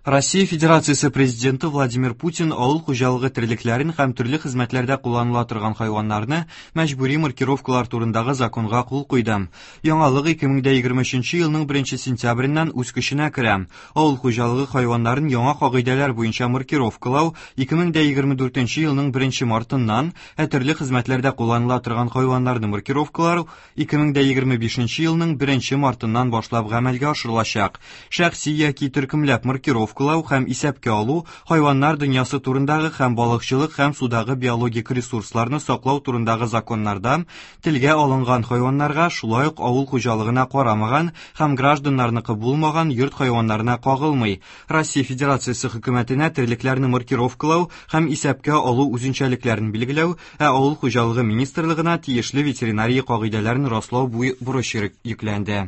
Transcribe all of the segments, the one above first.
Россия Федерациясе Президенты Владимир Путин авыл хуҗалыгы терлекләрен һәм төрле хезмәтләрдә кулланыла торган хайваннарны мәҗбүри маркировкалар турындагы законга кул куйды. Яңалык 2023 елның 1 сентябреннән үз көченә керә. Авыл хуҗалыгы хайваннарын яңа кагыйдәләр буенча маркировкалау 2024 елның 1 мартыннан, ә төрле хезмәтләрдә кулланыла торган хайваннарны маркировкалау 2025 елның 1 мартыннан башлап гамәлгә ашырылачак. Шәхси яки төркемләп маркировкалау һәм исәпкә алу хайваннар дөньясы турындагы һәм балыкчылык һәм судагы биологик ресурсларны саклау турындагы законнарда телгә алынган хайваннарга, шулай ук авыл хуҗалыгына карамаган һәм гражданнарныкы булмаган йорт хайваннарына кагылмый. Россия Федерациясе хөкүмәтенә терлекләрне маркировкалау һәм исәпкә алу үзенчәлекләрен билгеләү, ә Авыл хуҗалыгы министрлыгына тиешле ветеринария кагыйдәләрен раслау бурычы йөкләнде.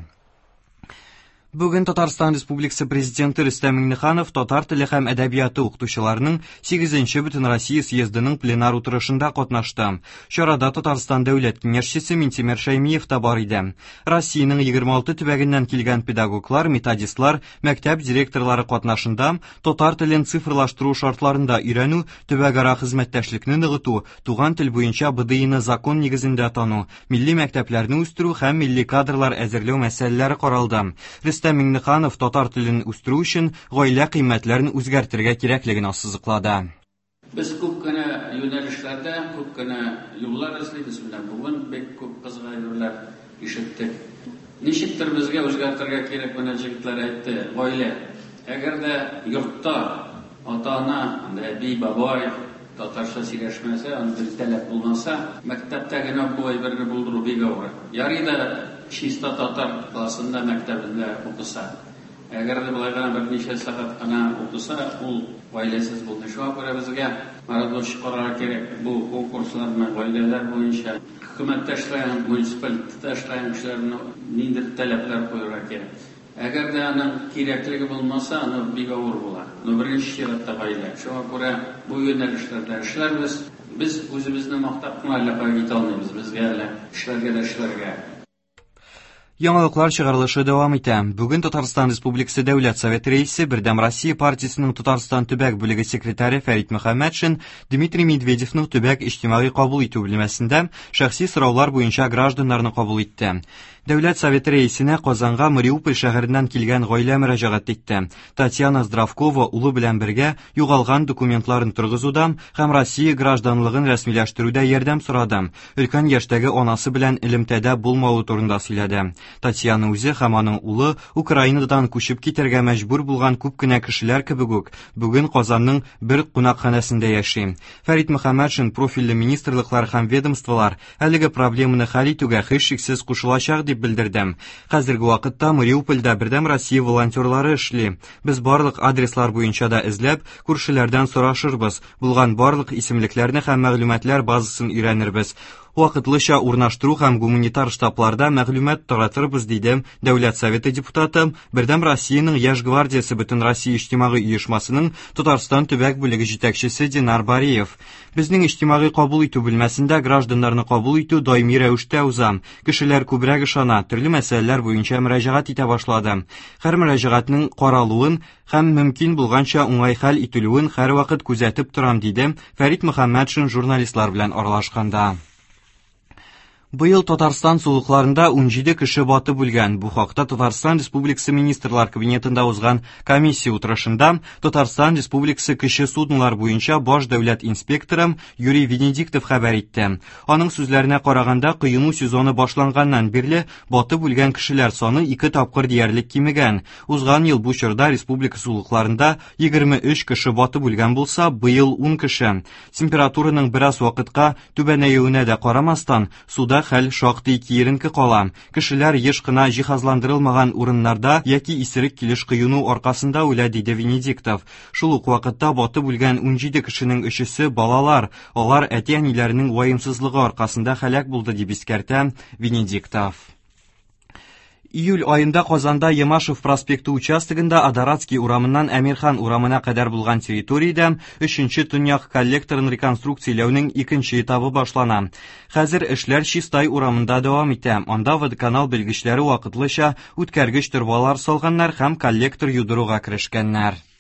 Бүген Татарстан Республикасы Президенты Рөстәм Миңнеханов татар теле һәм әдәбияты укытучыларының 8-нче Бөтенроссия съездының пленар утырышында катнашты. Чарада Татарстан Дәүләт Киңәшчесе Минтимер Шәймиев та бар иде. Россиянең 26 төбәгеннән килгән педагоглар, методистлар, мәктәп директорлары катнашында татар телен цифрлаштыру шартларында өйрәнү, төбәкара хезмәттәшлекне ныгыту, туган тел буенча БДИны закон нигезендә тану, милли мәктәпләрне үстерү һәм милли кадрлар әзерләү мәсьәләләре каралды. Рөстәм Миңнеханов татар телен үстерү өчен гаилә кыйммәтләрен үзгәртергә кирәклеген ассызыклады. Без күп кенә юнәлешләрдә күп кенә юллар эзлибез. Менә бүген бик күп кызык әйберләр ишеттек. Ничектер безгә үзгәртергә кирәк, менә җегетләр әйтте, гаилә. Әгәр дә йортта ата-ана, анда әби, бабай татарча сөйләшмәсә, андый таләп булмаса, мәктәптә генә бу әйберне булдыру бик авыр. Ярый да чиста татар классында, мәктәбендә укыса. Әгәр дә болай гына берничә сәгать кына укыса, ул гаиләсез булмый. Шуңа күрә безгә, Марат Дусович, карарга кирәк бу конкурсларны гаиләләр буенча. Хөкүмәттә эшләгән, муниципалитетта эшләгән кешеләрне ниндидер таләпләр куярга кирәк. Әгәр дә аның кирәклеге булмаса, аны бик авыр була. Но беренче чиратта гаилә. Шуңа күрә бу юнәлешләрдә эшләрбез. Без үзебезне мактап кына әллә кая китә алмыйбыз. Безгә әле эшләргә дә эшләргә. Яңалыклар чыгарылышы дәвам итә. Бүген Татарстан Республикасы Дәүләт Советы рәисе, Бердәм Россия партиясенең Татарстан төбәк бүлеге секретаре Фәрит Мөхәммәтшин Дмитрий Медведевның төбәк иҗтимагый кабул итү бүлмәсендә шәхси сораулар буенча гражданнарны кабул итте. Дәүләт Советы рәисенә Казанга Мариуполь шәһәреннән килгән гаилә мөрәҗәгать итте. Татьяна Здравкова улы белән бергә югалган документларын торгызуда һәм Россия гражданлыгын рәсмиләштерүдә ярдәм сорады. Өлкән яшьтәге анасы белән элемтәдә булмавы турында сөйләде. Татьяна үзе һәм аның улы Украинадан күчеп китәргә мәҗбүр булган күп кенә кешеләр кебек үк, бүген Казанның бер кунакханәсендә яши. Фәрит Мөхәммәтшин профильле министрлыклар һәм ведомстволар әлеге проблеманы хәл итүгә һичшиксез кушылачак дип белдерде. Хәзерге вакытта Мариупольдә Бердәм Россия волонтерлары эшли. Без барлык адреслар буенча да эзләп, күршеләрдән сорашырбыз, Булган барлык исемлекләрне һәм мәгълүматлар базасын өйрәнербез. Вакытлыча урнаштыру һәм гуманитар штабларда мәгълүмат таратырбыз, диде Дәүләт Советы депутаты, Бердәм Россиянең Яшь гвардиясе Бөтенроссия иҗтимагый оешмасының Татарстан төбәк бүлеге җитәкчесе Динар Бариев. Безнең иҗтимагый кабул итү бүлмәсендә гражданнарны кабул итү даими рәвештә уза. Кешеләр күбрәк ышана, төрле мәсьәләләр буенча мөрәҗәгать итә башлады. Һәр мөрәҗәгатьнең каралуын һәм мөмкин булганча уңай хәл ителүен һәрвакыт күзәтеп торам, диде Фәрит Мөхәммәтшин журналистлар белән аралашканда. Быел Татарстан сулыкларында 17 кеше батып үлгән. Бу хакта Татарстан Республикасы Министрлар Кабинетында узган комиссия утырышында Татарстан Республикасы кече суднолар буенча баш дәүләт инспекторы Юрий Венедиктов хәбәр итте. Аның сүзләренә караганда, коену сезоны башланганнан бирле батып үлгән кешеләр саны ике тапкыр диярлек кимегән. Узган ел бу чорда республика сулыкларында 23 кеше батып үлгән булса, быел 10 кеше. Температураның бераз вакытка түбәнәюенә дә карамастан, суда хәл шактый киеренке кала. Кешеләр еш кына җиһазландырылмаган урыннарда яки исерек килеш коену аркасында үлә, диде Венедиктов. Шул ук вакытта батып үлгән 17 кешенең өчесе балалар. Алар әти-әниләренең ваемсызлыгы аркасында һәлак булды, дип искәртә Венедиктов. Июль аенда Казанда Ямашев проспекты участогында Адоратский урамыннан Әмирхан урамына кадәр булган территориядә өченче төньяк коллекторын реконструкцияләүнең икенче этабы башлана. Хәзер эшләр Чистай урамында дәвам итә. Анда водоканал белгечләре вакытлыча үткәргеч торбалар салганнар һәм коллектор юдыруга керешкәннәр.